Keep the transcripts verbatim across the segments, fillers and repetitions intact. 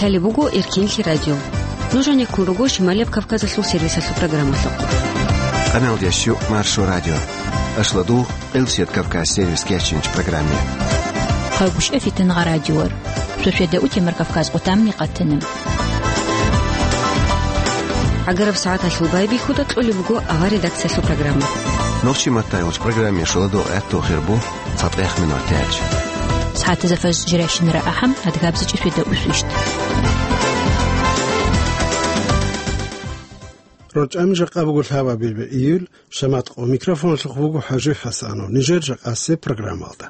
Лъалеб буго Эркенлъи радио. Нуж гьанеккун руго Шималияб Кавказалъул сервисалъул программалъухъ. Къамелдящу Маршо радио. Ашладу Къилсият Кавказ сервис кечинч программе. Хъагушев Фитангъа радиор. Сосведа утемар Кавказ къутамни къатана. ГӀагараб сагӀаталъул байбихьуда кьолеб буго авар редакциялъул программа. Нохчи маттайулч программе шуладу гӀатту хирбу цатӀех минутач. СагӀатазда фаз жиращинара ахӀам адгабзичӀи сосведа усвищ. РорчӀами жакъа буго лъабабилбе июль, шаматкъо микрофонлъухъ буго ХӀажи ХӀасанов. Нижер жакъасе программалда.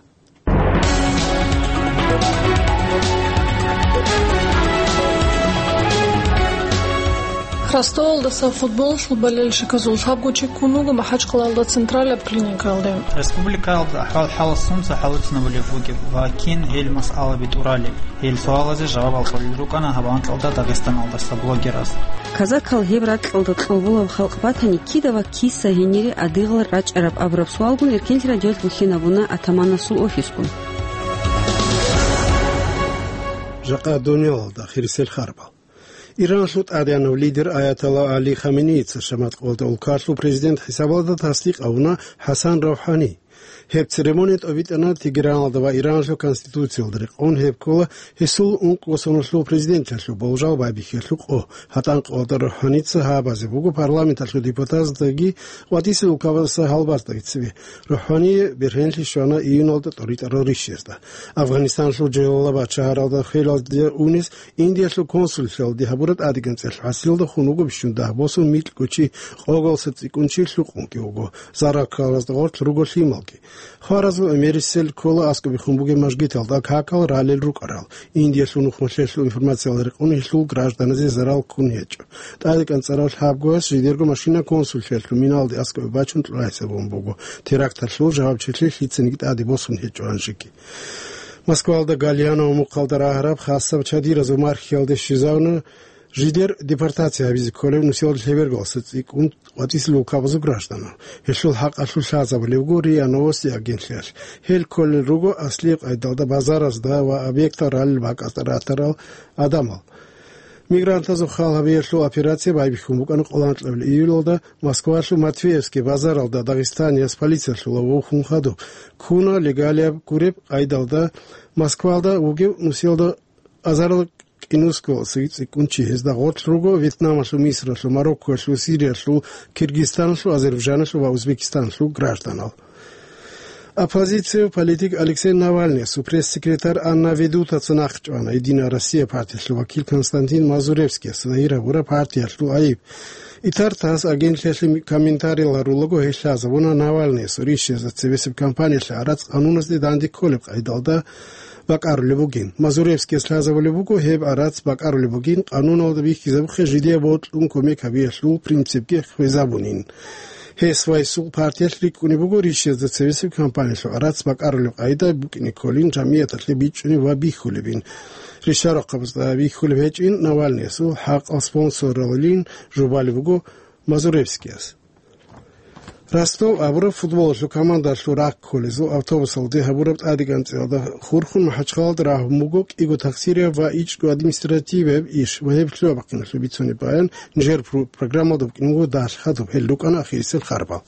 Ростовалдаса футболалъул болельщиказул лъабго чи ккун вуго МахӀачхъалаялда централаб клиникаялде. Республикаялда ахӀвал-хӀалас сунца хӀалуцинабулеб бугеб ва кин гьел масъалаби тӀуралеб? Гьел суалазе жавабал кьолел рукӀана гьаб анкьалда Дагъистаналдаса блогераз. Казакал гьеб ракьалда кьолболаб халкъ батани, кида ва киса гьенире адигъал рачӀараб абураб суалгун Эркенлъи радиоялъ бухьинабуна атаманасул офисгун. Жакъа дунялалда хирисел харбал. Иранлъул тӀадегӀанав лидер Аятолла Али Хаменеица шаматкъалда улкалъул президент хӀисабалда тасдикъ гьавуна ХӀасан РавхӀани. Гьеб церемония тӀобитӀана Тегераналда ва Иранлъул конституциялда рекъон гьеб ккола гьесул ункъго соналъул президенталъул болжал байбихьиялъул къо. ГьатӀанкъалда РавхӀаница гьабазе буго парламенталъул депутатаздаги ва ТӀадегӀанасул улкабазаса гьалбаздагицаби. РавхӀание бергьенлъи щвана июналда тӀоритӀарал ришшезда. Афганистаналъул Джалалабад шагьаралда хвелалде унес Индиялъул консуллъиялде гьабураб тӀадегӀанцӀалъ хӀасилалда хун вуго бищун дагь босун микьго чи къоялдаса цӀикӀкӀун чи лъукъунги вуго, зарал ккаразда гъорлъ руго лъималги. Хваразул гӀемерисел ккола аскӀобе хун бугеб мажгиталда какал ралел рукӀарал. Индиялъул нухмалъиялъул информациялда рекъон гьелъул гражданазе зарал ккун гьечӀо. ТӀадегӀанцӀарав лъабгояс жидерго машина консуллъиялъул миналде аскӀобе бачун кьурай гьабун буго, теракталъул жавабчилъи лъицаниги тӀаде босун гьечӀо гьанжеги. Москвалда Гальяново мухъалда рагьараб хасаб чадиразул мархиялде щвезавуна жидер депортация гьабизе кколев нусиялда лъебергалъуса цӀикӀкӀун къватӀисел улкабазул гражданал. Гьелъул хӀакъалъулъ лъазабулеб буго РИА Новости агентлъиялъ. Гьел кколел руго аслияб къайдалда базаразда ва объектал ралел бакӀалда ратарал гӀадамал. Мигрантазул хал гьабиялъул операция байбихьун букӀана къоло анкьабилеб июлалда Москвалъул Матвеевский базаралда дагъистанияс полициялъула вухун хадуб. Ккуна легалияб гуреб къайдалда Москвалда вугев нусиялда азарилан кӀинусго цӀикӀкӀун чи. Гьезда гъорлъ руго Вьетнамалъул, Мисралъул, Мароккоялъул, Сириялъул, Киргизстаналъул, Азербайджаналъул ва Узбекистаналъул гражданал. Оппозицияв политик Алексей Навальныясул пресс-секретарь Анна Ведутаца нахъчӀвана, «Единая Россия» партиялъул вакил Константин Мазуревскияс загьир гьабураб партиялъул гӀайиб. Итар-тасс агентлъиялъе комментариял гьарулаго гьелъ лъазабуна Навальныясул ришшезда цебесеб кампаниялъе гӀарац къануналде данде кколеб къайдалда бакӀарулеб бугин. Мазуревскияс лъазабулеб буго, гьеб гӀарац бакӀарулеб бугин, къануналда бихьизабухъе жидее бокьун кумек гьабиялъул принципги хвезабунин. Гьес ва гьесул партиялъ рикӀкӀунеб буго ришшезда цебесеб кампаниялъул гӀарац бакӀарулеб къайда букӀине кколин, жамигӀаталъе бичӀчӀунеб ва бихьулебин. Ришарахъабазда бихьулеб гьечӀин, Навальныясул хӀакъал спонсоралин жубалеб буго Мазуревскияс. Ростов абураб футболалъул командалъул рахъ кколезул автобусалде гьабураб тӀадегӀанцӀиялда хурхун МахӀачхъалалда рагьун буго кӀиго таксирияб ва ичӀго административияб иш ва гьеб лъугьа-бахъиналъул бицунеб баян нижер пру-, программалда букӀине буго далъадаб. Гьел рукӀана ахирисел харбал.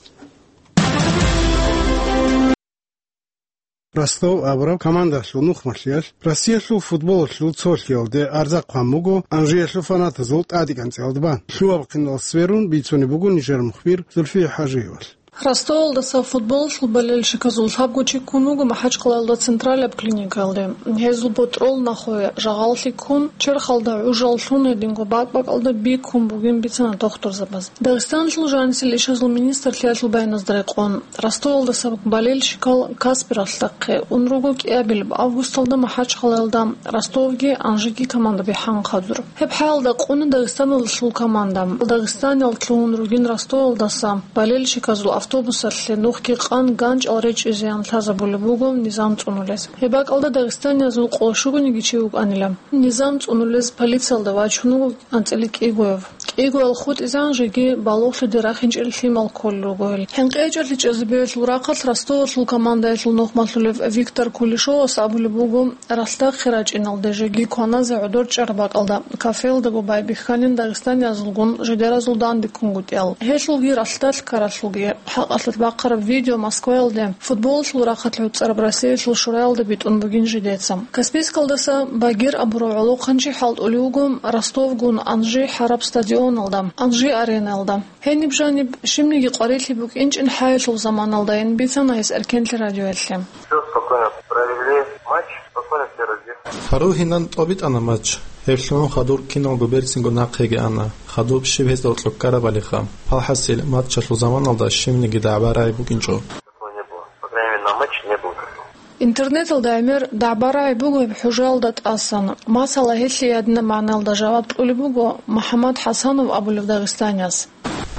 Ростов абураб командалъул нухмалъиялъ Россиялъул футболалъул цолъиялде арза хъван буго Анжиялъул фанатазул тӀадегӀанцӀиялда бан. Лъугьа-бахъинал сверун бицунеб буго нижер мухбир Зульфия ХӀажиевалъ. Ростовалдаса футболалъул болельщиказул лъабго чи ккун вуго МахӀачхъалаялда централаб клиникаялде. Гьезул ботӀрол нахъе жагъаллъи ккун, черхалда гӀужал лъун гьединго бакӀ-бакӀалда биккун бугин бицана дохтурзабаз. Дагъистаналъул жанисел ишазул министрлъиялъул баяназда рекъон, Ростовалдаса болельщикал Каспер ахлахъе ун руго кӀиабилеб августалда МахӀачхъалаялда Ростовги Анжиги командаби хӀанхъадур. Гьеб хӀалалда къуна Дагъистаналдалъул команда. Дагъистаниялъ лъугьун ругин Ростовалдаса болельщиказул автобусалъе нухги къан ганчӀал речӀезеян лъазабулеб буго низам цӀунулез. Гьеб бакӀалда дагъистаниязул къо щугониги чи вукӀанила. Низам цӀунулез полициялда вачун вуго анцӀила кӀигояв. Игоял хутӀизегӀан жеги балугълъиде рахинчӀел лъимал кколел руго гьел. ХӀинкъи гьечӀелъи чӀезабиялъул рахъалъ Ростовалъул командаялъул нухмалъулев Виктор Кулешовас абулеб буго, ралъдахъе рачӀиналде жеги кваназе гӀодор чӀараб бакӀалда, кафелдаго байбихьанин дагъистаниязулгун жидеразул данде ккунгутӀиял. Гьелъулги ралъдалъ ккаралъулги хӀакъалъулъ бахъараб видео Москваялде футболалъул рахъалъ гӀуцӀараб Россиялъул шураялда битӀун бугин жидеца. Каспийскалдаса Багир абурав гӀолохъанчи хӀалтӀулев вуго Ростовгун Анжи гьараб стадионалда, Анжи аренаялда. Гьениб жаниб щибниги къварилъи букӀинчӀин хӀаялъул заманалдайин бицана гьес Эркенлъи радиоялъе. Всё спокойно провели матч, спокойно все разъехались. Гьару гьинан тӀобитӀана матч. Гьеб лъугӀун хадур киналго берцинго нахъеги ана. Хадуб щиб гьезда гьоркьоб ккарабалиха. Палхасил, матчалъул заманалда щибниги дагӀба-рагӀи букӀинчӀо. Такого не было. По крайней мере, на матче не было такого. Интернеталда гӀемер дагӀба-рагӀи буго гьеб хӀужаялда тӀасан. Масала, гьелъие гьадинаб магӀналда жаваб кьулеб буго МухӀаммад ХӀасанов абулев дагъистанияс.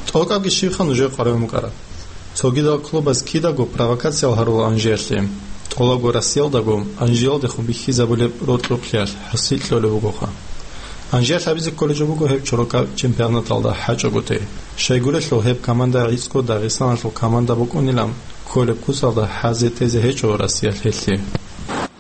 ТӀокӀабги щибха нужее къваригӀун букӀараб. Цогидал клубаз кидаго провокациял гьарула Анжиялъе. ТӀолабго Россиялдаго Анжиялдехун бихьизабулеб рокьукълъиялъ хӀасил кьолеб бугоха. Анжиялъ гьабизе кколеб жо буго гьеб чорокаб чемпионаталда хӀачӀоготе. Щайгурелъул гьеб команда гӀицӀго Дагъистаналъул команда букӀунилан, кколеб куцалда хӀазе-тезе гьечӀо Россиялъ гьелъие.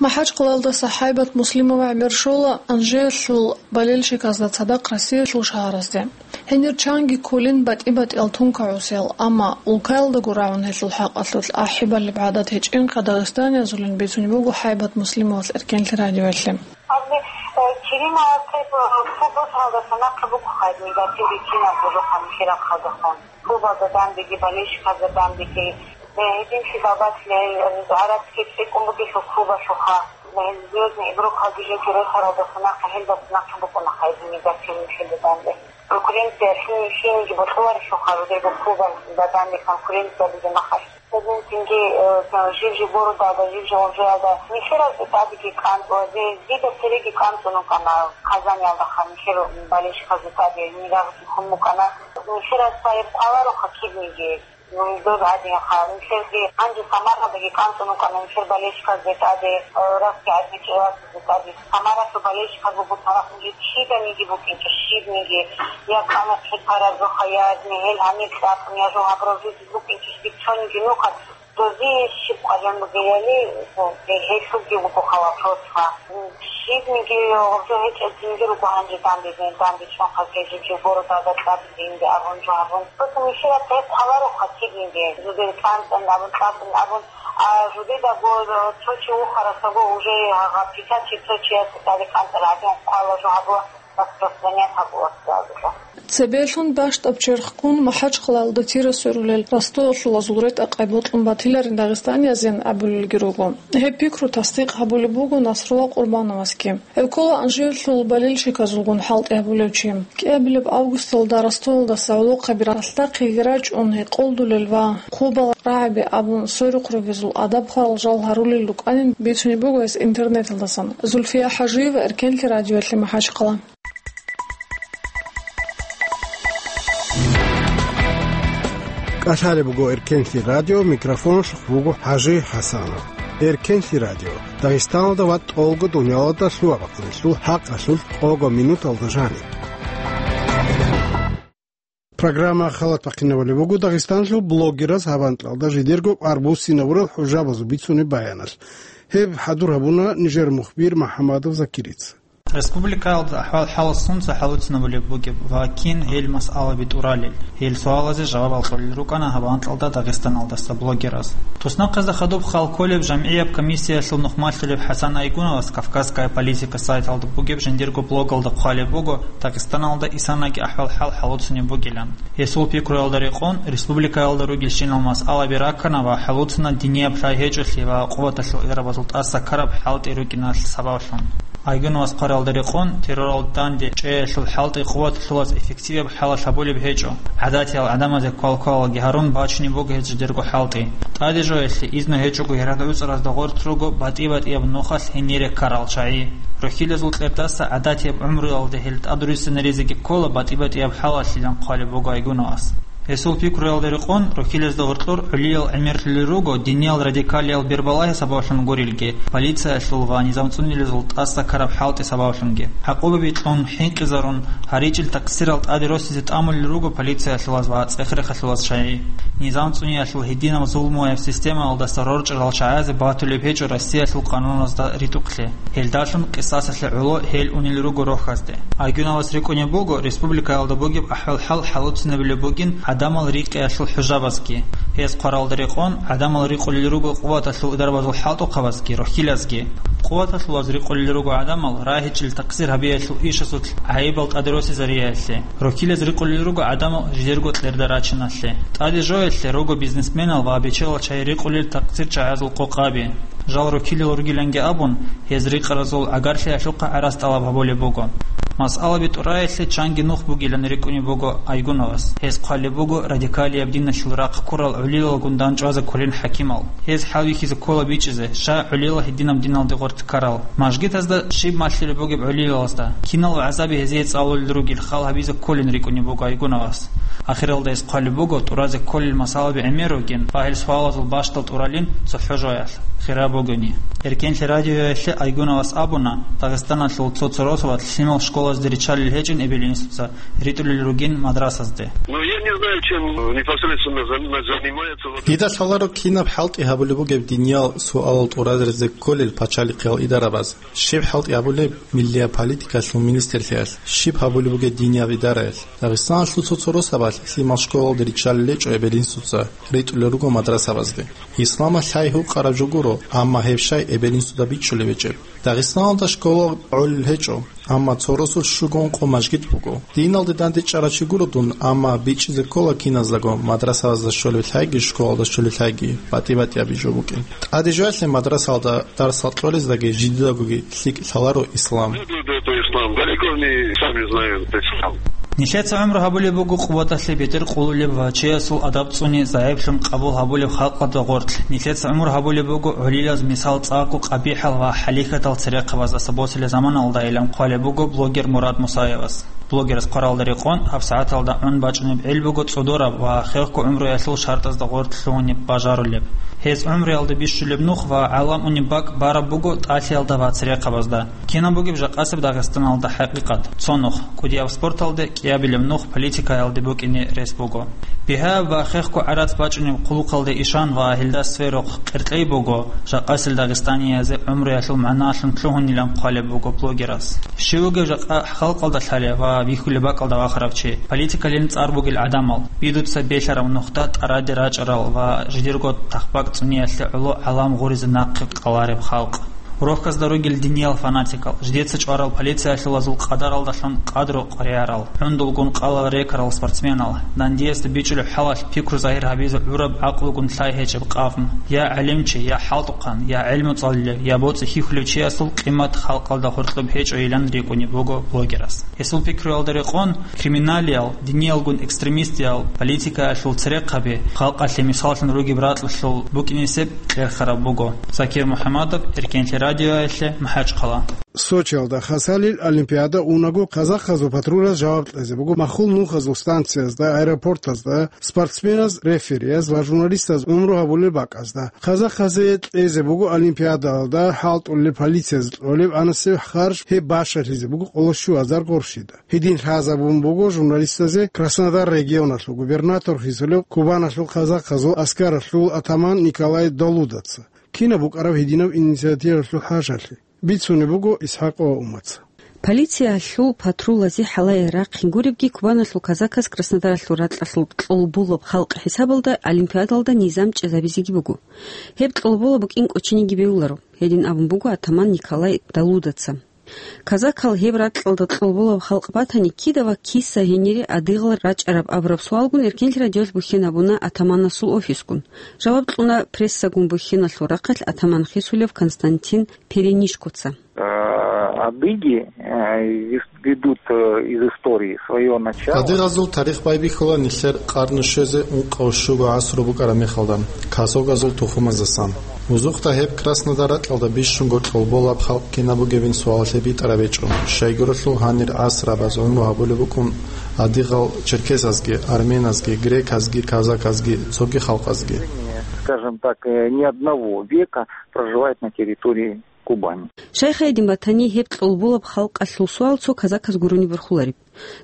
МахӀачкъалаялдаса ХӀайбат Муслимова гӀемер щола Анжиялъул болельщиказда цадахъ Россиялъул шагьаразде. Гьенир чанги кколин батӀи-батӀиял тункагӀусел, амма улкаялдаго рагӀун гьелъул хӀакъалъулъ ахӀи балеб гӀадат гьечӀинха дагъистаниязулин бицунеб буго ХӀайбат Муслимовас Эркенлъи радиоялъе. Абни, э, Кирима Артеб, э, футболалдаса нахъе букӀухъайни, гьатиби кинабго жо хъанухъе рахъалдехун. Клубалда дандеги, болельщиказда дандеги, э, гьединлъидал батила, э, гӀарабский цӀикӀкӀун бугелъул клубалъулха, э, Звёздный игрокалги жеги росаралдаса нахъе, гьелдаса нахъе букӀунахъайни, гьатиби нилъеда данде. Конкуренция лъи-, лъиениги бокьуларелъулха, жидерго клубалда данде конкуренция бугеб мехалъ. Гьединлъидги, э, жив-жив городалда, жив-жив гъоржоялда нилъеразде тӀадеги кӀанцӀула, зи-, дида цереги кӀанцӀун вукӀана Казаниялдаха, нилъер болельщиказда тӀаде нилъераги хун букӀана. Нилъерас гьеб хъвалароха кибниги, м, доб гӀадинха. Нилъерги гьанже Самаралдаги кӀанцӀун вукӀана нилъер болельщиказда тӀаде, э, рахги гӀадин чӀегӀласазда тӀаде. Самаралъул болельщиказ буго царахъ нилъер чиданиги букӀинчӀо, щибниги, я кӀана хъипаразухъа, я гьел гьанир кьакъ, я жо гьабураб жо букӀинчӀищ бицониги нухъа. Дозие щиб къваригӀун бугебали, гьелъулги вуго хъалахъосха. Щибниги гъоржо гьечӀеб жинги руго гьанже данде, данде чӀван хъалкье жиб-жиб городалда кьабизе инде абун жо гьабун. Просто нилъерас гьеб хъвалароха кибниги, жудер кӀанцӀан абун, кьабун абун. А жудедаго цо чи вухарасаго уже гьагъа писачи цо чиясда тӀаде кӀанцӀараб гӀадин хъвала жо гьабула. Цебелъун бащдаб черхгун МахӀачхъалаялда тира сверулел Ростовалъулазул ретӀа-къай бокьун батиларин дагъистаниязин абулелги руго. Гьеб пикру тасдикъ гьабулеб буго Насрулла Къурбановасги. Гьев ккола Анжиялъул болельщиказулгун хӀалтӀи гьабулев чи. КӀиабилеб августалда Ростовалдаса гӀолохъаби ралъдахъеги рачӀун гьекъолдулел ва хъубал рагӀаби абун сверухъ ругезул адаб-хварал жал гьарулел рукӀанин бицунеб буго гьес интернеталдасан. Зульфия ХӀажиева, Эркенлъи радиоялъе, МахӀачхъала. КӀалъалеб буго Эркенлъи радио, микрофоналъухъ вуго ХӀажи ХӀасанов. Эркенлъи радио, Дагъистаналда ва тӀолго дунялалда лъугьа-бахъиналъул хӀакъалъулъ къого минуталда жаниб. Программа халат бахъинабулеб буго Дагъистанлъул блогераз гьаб анкьалда жидерго къварбуссинабурал хӀужабазул бицунеб баяналъ. Гьеб хӀадур гьабуна нижер мухбир МухӀамадов Закирица. Республикаялда ахӀвал-хӀал сунца хӀалуцинабулеб бугеб ва кин гьел масъалаби тӀуралел, гьел суалазе жавабал кьолел рукӀана гьаб анкьалда Дагъистаналдаса блогераз. Туснахъазда хадуб хал кколеб жамгӀияб комиссиялъул нухмалъулеб ХӀасан Айгуновас «Кавказская политика» сайталда бугеб жиндирго блогалда хъвалеб буго Дагъистаналда исанаги ахӀвал-хӀал хӀалуцунеб бугилан. Гьесул пикруялда рекъон, республикаялда ругелщинал масъалаби раккана ва хӀалуцана динияб лъай гьечӀолъи ва къуваталъул ирабазул тӀаса ккараб хӀалтӀи рукӀиналъ сабаблъун. Айгуновас хъваралда рекъон, терроралда данде чӀеялъул хӀалтӀи къуваталъулаз эффективаб хӀалалъ гьабулеб гьечӀо. ГӀадатиял гӀадамазе квал-квалалги гьарун бачунеб буго гьез жидерго хӀалтӀи. ТӀадежоялъе изну гьечӀого гьарад гӀуцӀаразда гъоркь руго батӀи-батӀияб нухалъ гьенире ккарал чагӀи. Рухьилазул кьердаса гӀадатияб гӀумруялда гьел тӀадруссинаризеги ккола батӀи-батӀияб хӀалалъилан хъвалеб буго Айгуновас. Гьесул пикруялда рекъон, рохьилезда гъоркьор гӀолиял гӀемерлъулел руго диниял радикалиял бербалагьи сабаблъун гурелги, полициялъул ва низам цӀунилезул тӀаса ккараб хӀалтӀи сабаблъунги. ГӀакъубаби кьун, хӀинкъизарун, гьаричӀил такъсирал тӀаде росизе тӀамулел руго полициялъулаз ва цӀех-рехалъулаз чагӀи. Низам цӀуниялъул гьединаб зулмуяб системаялдаса рорчӀарал чагӀазе батулеб гьечӀо Россиялъул къануназда ритӀухълъи. Гьелдалъун къисасалъе гӀоло гьел унел руго рохьазде. Айгуновас рикӀкӀунеб буго, республикаялда бугеб ахӀвал-хӀал хӀалуцинабилеб бугин гӀадамал рикъиялъул хӀужабазги. Гьез хъваралда рекъон, гӀадамал рикъулел руго къуваталъул идарабазул хӀалтӀухъабазги, рохьилазги. Къуваталъулаз рикъулел руго гӀадамал рагьичӀел такъсир гьабиялъул ишазулъ гӀайибал тӀаде росизариялъе. Рохьилаз рикъулел руго гӀадамал жидерго кьерда рачиналъе. ТӀаде жоялъе руго бизнесменал ва бечелал чагӀи рикъулел такъсир чагӀазул къокъаби. Жал рокилел ругиланги абун, гьез рикъаразул гӀагарлъиялъухъа гӀарац тӀалаб гьабулеб буго. Масъалаби тӀураялъе чанги нух бугилан рикӀкӀунеб буго Айгуновас. Гьез хъвалеб буго радикалияб диналъул рахъ ккурал гӀолилалгун дандчӀвазе кколин хӀакимал. Гьез хӀалбихьизе ккола бичӀчӀизе, щай гӀолилал гьединаб диналде гъоркь ккарал. Мажгитазда щиб малъулеб бугеб гӀолилалазда? Кинал вагӀзаби гьезие цӀалулел ругел хал гьабизе кколин рикӀкӀунеб буго Айгуновас. Ахиралда гьес хъвалеб буго тӀуразе кколел масъалаби гӀемер ругин ва гьел суалазул бащдал тӀуралин цохӀо жоялъ, хираб бугони. Эркенлъи радиоялъе Айгуновас абуна, Дагъистаналъул цо-цо росабалъ лъимал школазде риччалел гьечӀин эбел-инсуца, ритӀулел ругин мадрасазде. Ну, я не знаю, чем непосредственно зан-, занимается вот Дида лъаларо кинаб хӀалтӀи гьабулеб бугеб диниял суалал тӀуразаризе кколел пачалихъиял идарабаз. Щиб хӀалтӀи гьабулеб миллияб политикалъул министрлъиялъ, щиб гьабулеб бугеб динияб идараялъ? Дагъистаналъул цо-цо росабалъ лъимал школалде риччалел гьечӀо эбел-инсуца, ритӀулел руго мадрасабазде. Исламалъ лъай гьукъараб жо гуро, амма гьеб щай эбел-инсуда бичӀчӀулеб гьечӀеб? Дагъистаналда школа гӀолел гьечӀо, амма цо росулъ щуго ункъо мажгит буго. Диналде дандечӀарав чи гуро дун, амма бичӀчӀизе ккола киназдаго, мадрасаялда щолеб лъайги, школалда щолеб лъайги, батӀи-батӀияб жо букӀин. ТӀаде жоялъе мадрасаялда дарсал кьолездаги жидедагоги лъикӀ лъаларо ислам. Следует это ислам. Далеко не сами знают ислам. Нилъеца гӀумру гьабулеб буго къуваталъе бетӀер къулулеб ва чиясул адаб цӀуни загӀиплъун къабул гьабулеб халкъалда гъоркь. Нилъеца гӀумру гьабулеб буго гӀолилаз мисал цӀакъго къабихӀал ва хӀалихьатал церехъабаздаса босулеб заманалдайилан хъвалеб буго блогер Мурад Мусаевас. Блогерас хъваралда рекъон, гьабсагӀаталда гӀун бачӀунеб гӀел буго цӀодораб ва хехго гӀумруялъул шартӀазда гъоркь лъугьунеб бажарулеб. Гьез гӀумруялда бищулеб нух ва гӀалам унеб бакӀ бараб буго тӀалъиялда ва церехъабазда. Кинаб бугеб жакъасеб Дагъистаналда хӀакъикъат? Цо нух, кӀудияб спорталде, кӀиабилеб нух политикаялде букӀине рес буго. Бигьаяб ва хехго гӀарац бачӀунеб хъулухъалде ишан ва гьелда сверухъ къеркьей буго, жакъасел дагъистаниязе гӀумруялъул магӀналъун лъугьунилан хъвалеб буго блогерас. Щив вугев жакъа халкъалда лъалев ва бихьулеб бакӀалда вахарав чи? Политикалин цӀар бугел гӀадамал, бидуца белъараб нухда тӀараде рачӀарал ва жидерго тахбакӀ цӀуниялъе гӀоло гӀалам гъуризе нахъе къалареб халкъ. Рохьазда ругел диниял фанатикал, жидеца чӀварал полициялъулазул къадаралдалъун къадру къваригӀарал, гӀундулгун къалал рекарал спортсменал, дандиясда бичӀчӀулеб хӀалалъ пикру загьир гьабизе гӀураб гӀакълугун лъай гьечӀеб къавм, я гӀалимчи, я хӀалтӀухъан, я гӀелму цӀалулев, я боцӀи хьихьулев чиясул къимат халкъалда гьоркьоб гьечӀойилан рикӀкӀунеб буго блогерас. Гьесул пикруялда рекъон, криминалиял, диниялгун экстремистиял, политикаялъул церехъаби, халкъалъе мисаллъун ругеб ракьалъул букӀинесеб кьерхараб буго. Закир МухӀамадов, Эркенлъи радиоялъе, МахӀачхъала. Сочиялда хасалил олимпиада унаго казахазул патрулаз жаваб кьезе буго махул нухазул станциязда, аэропортазда, спортсменаз, реферияз ва журналистаз гӀумру гьабулел бакӀазда. Казахазе кьезе буго олимпиадаялда хӀалтӀулел полициязда кьолеб анасеб харж, гьеб башалъизе буго къоло щуазар къуршида. Гьедин лъазабун буго журналистазе Краснодар регионалъул губернатор хисулев Кубаналъул казахазул аскаралъул атаман Николай Долудаца. Кинаб букӀараб гьединаб инициативалъул хӀажалъи? Бицунеб буго ИсхӀакъ ва Умаца. Полициялъул патрулазе хӀалае рахъин гуребги, Кубаналъул казаказ Краснодаралъул ракьалъул кьолболаб халкъ хӀисабалда олимпиадалда низам чӀезабизеги буго. Гьеб кьолбола букӀин кӀочениги бегьуларо, гьедин абун буго атаман Николай Далудаца. Казакал гьеб ракьалда кьолболаб халкъ батани, кида ва киса гьенире адигъал рачӀараб абураб суалгун Эркенлъи радиоялъ бухьинабуна атаманасул офисгун. Жаваб кьуна прессагун бухьиналъул рахъалъ атаман хисулев Константин Перенишкоца. А, Адыги, э, вес-, ведут, э, из истории своё начало. Адыгазул тарих байбихьула нилъер къарну щвезе ункъав щуго гӀасру букӀараб мехалда, казогазул тухумаздасан. Узухъда гьеб Краснодар ракьалда бищунго кьолболаб халкъ кинаб бугебин суалалъе битӀараб гьечӀо, щайгурелъул гьанир гӀасрабаз гӀумру гьабулеб букӀун адыгал черкесазги, арменазги, греказги, казаказги, цоги халкъазги. Скажем так, э, не одного века проживает на территории Кубани. Щайха гьедин батани, гьеб кьолболаб халкъалъул суал цо казаказ гурони борхулареб.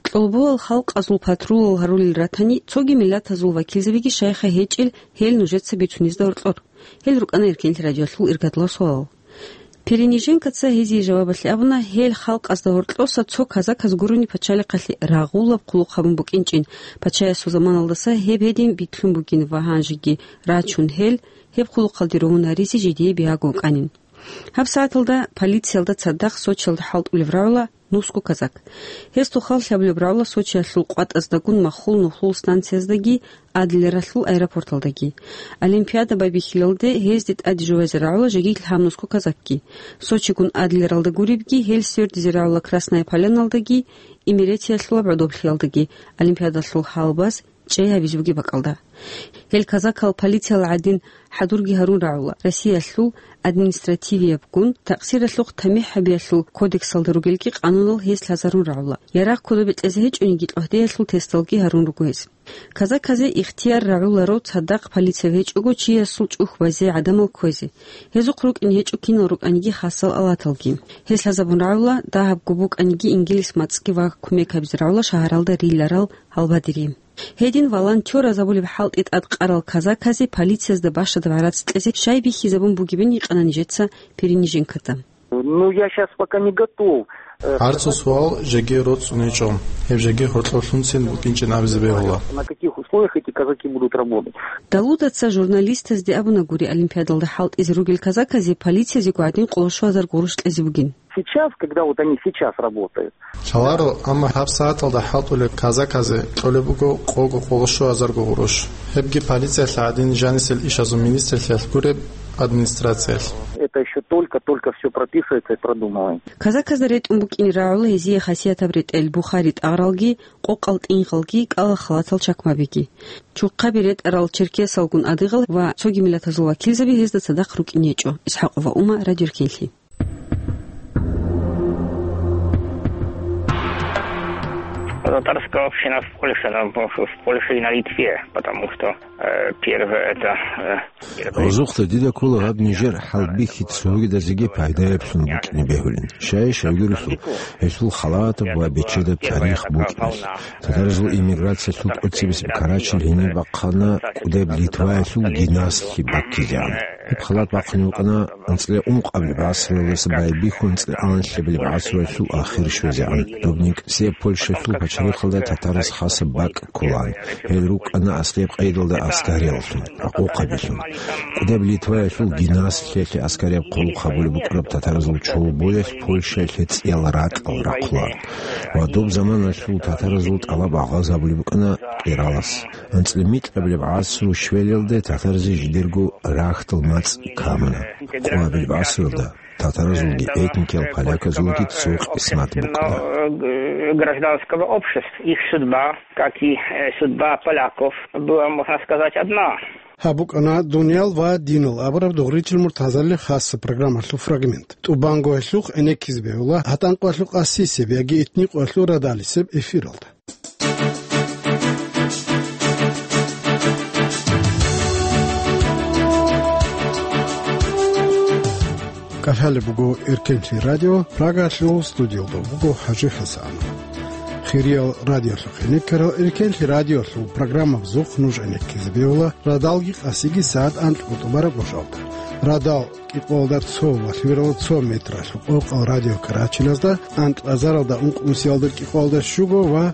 Кьолболал халкъазул патрулал гьарулел ратани, цоги миллатазул вакилзабиги щайха гьечӀел, гьел нужеца бицунезда гьоркьор. Гьел рукӀана Эркенлъи радиоялъул иргадлъул суалал. Перениженкоца гьезие жавабалъе абуна, гьел халкъазда гьоркьоса цо казаказ гурони пачалихъалъе рагъулаб хъулухъ гьабун букӀинчӀин, пачаясул заманалдаса гьеб гьедин битлъун бугин ва гьанжеги рачун гьел, гьеб хъулухъалде ругьун гьаризе жидее бигьаго вукӀанин. Гьаб сагӀаталда полициялда цадахъ Сочиялда хӀалтӀулев рагӀула нусго казак. Гьез тухал лъабулеб рагӀула Сочиялъул къватӀаздагун Махул-Нухлул станцияздаги, Адлералъул аэропорталдаги. Олимпиада байбихьилалде гьезде тӀаде жувазе рагӀула жеги лъабнусго казакги. Сочигун Адлералда гуребги, гьел свердизе рагӀула Красная Поляналдаги, Имеретиялъулаб гӀодоблъиялдаги, Олимпиадалъул гьалбаз чӀей гьабизе бугеб бакӀалда. Гьел казакал полициял гӀадин хӀадурги гьарун рагӀула, Россиялъул административиябгун такъсиралъухъ тамихӀ гьабиялъул кодексалда ругелги къанунал гьез лъазарун рагӀула. Ярагъ кодобе кьезе гьечӀониги, кьогьдеялъул тесталги гьарун руго гьез. Казаказе ихтияр рагӀуларо цадахъ полиция гьечӀого чиясул чӀухь базе гӀадамал кквезе. Гьезухъ рукӀин гьечӀо кинал рукӀаниги хасал алаталги. Гьез лъазабун рагӀула, дагьабго букӀаниги, ингилис мацӀги ва кумек гьабизе рагӀула шагьаралда риларал гьалбадери. Гьедин волонтёраз абулеб хӀалтӀи тӀадкъарал казаказе полициязда бащадаб гӀарац кьезе щай бихьизабун бугебин гьикъана нижеца Перениженкода. Ну, я щас пока не готов, э, ГӀарцул сказать, суал жеги роцӀцӀун гьечӀо. Гьеб жеги гьоркьорлъунцин букӀинчӀин абизе бегьула. На каких условиях эти казаки будут работать? Далудаца журналистазде абуна гури, Олимпиадалда хӀалтӀизе ругел казаказе полициязего гӀадин къоло щуазар гъурущ кьезе бугин. Сейчас, когда вот они сейчас работают. Лъаларо, амма гьаб сагӀаталда хӀалтӀулел казаказе кьолеб буго къого къоло щуазарго гъурущ. Гьебги полициялъ гӀадин жанисел ишазул министрлъиялъ гуреб администрациялъ. Это ещё только-только всё прописывается и продумывается. Казаказда ретӀун букӀине рагӀула гьезие хасиятаб ретӀел, бухари-тӀагъралги, къокъал-тӀингъалги, кӀалал халатал чакмабиги. Чухъаби ретӀарал черкесалгун адыгъал ва цоги миллатазул вакилзаби гьезда цадахъ рукӀине гьечӀо. ИсхӀакъова Ума, Радио Эркенлъи. Татарская община в Польше, там, в, в Польше и на Литве, потому что, э, первое это, э, первое Гъозухъда дида ккола гьаб нижер хӀалбихьи цогидазеги пайдаяб лъун букӀине бегьулин. Щай-щайгурелъул гьелъул халатаб ва бечедаб тарих букӀиналъ. Татаразул эмиграциялъул тӀоцебесеб Карачил гьениб бахъана кӀудеб Литваялъул Гинаслъи баккизегӀан. Гьеб халат бахъунеб букӀана анцӀила ункъабилеб гӀасруялдаса байбихьун анцӀила анлъабилеб гӀасруялъул ахир щвезегӀан. Доб никӀсияб Польшалъул пачалихъалда татараз хасаб бакӀ кколаан. Гьел рукӀана аскӀоб къайдалда аскарияллъун, ракъохъабилъун. КӀудеб Литваялъул Гинаслъиялъе аскарияб хъулухъ гьабулеб букӀараб татаразул чолбоялъ Польшаялъе цӀиял ракьал рахъулаан. Ва доб заманалъул татаразул тӀалаб агъаз гьабулеб букӀана къиралас. АнцӀила микьабилеб гӀасру щвелалде татаразе жидерго рагьтал мацӀ камуна. Къоабилеб гӀасруялда татаразулги этникиял поляказулги цо къисмат букӀана. Гражданского общества, их судьба, как и, э, судьба поляков, была, можно сказать, одна. Гьаб букӀана «Дуниял ва динал» абураб дугъричил муртазалил хасаб программалъул фрагмент. ТӀубанго гьелъухъ гӀенеккизе бегьула гьатӀан къоялъул къасисеб яги этни къоялъул радалисеб эфиралда. КӀалъалеб буго Эркенлъи радио, Прагалъул студиялда буго ХӀажи ХӀасан. Хириял радиолъухъ гӀенеккарал Эркенлъи радиолъул программабазухъ нуж гӀенеккизе бегьула радалги къасиги сагӀат анкьго тӀубараб гъожалда. Радал кӀикъоялда цо ва лъимералда цо метралъул къокъал радио Карачиназда, анкьазаралда ункънусиялда кӀикъоялда щуго ва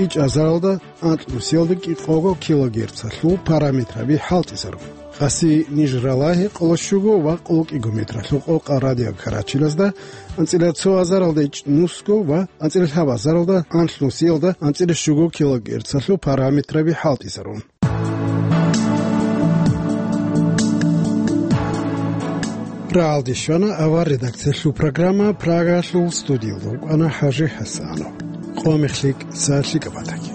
ичӀазаралда анкьнусиялда кӀикъого килогерцалъул параметраби хӀалтӀизарун. Къаси ниж ралагьи къоло щуго ва къоло кӀиго метралъул къокъал радио Карачиназда, анцӀила цо азаралда ичӀнусго ва анцӀила лъабазаралда анлънусиялда анцӀила щуго килогерцалъул параметраби хӀалтӀизарун. Прагьалде щвана авар редакциялъул программа. Прагалъул студиялда вукӀана ХӀажи ХӀасанов. Къо мехлъи кӀиса лъикӀаб батаги.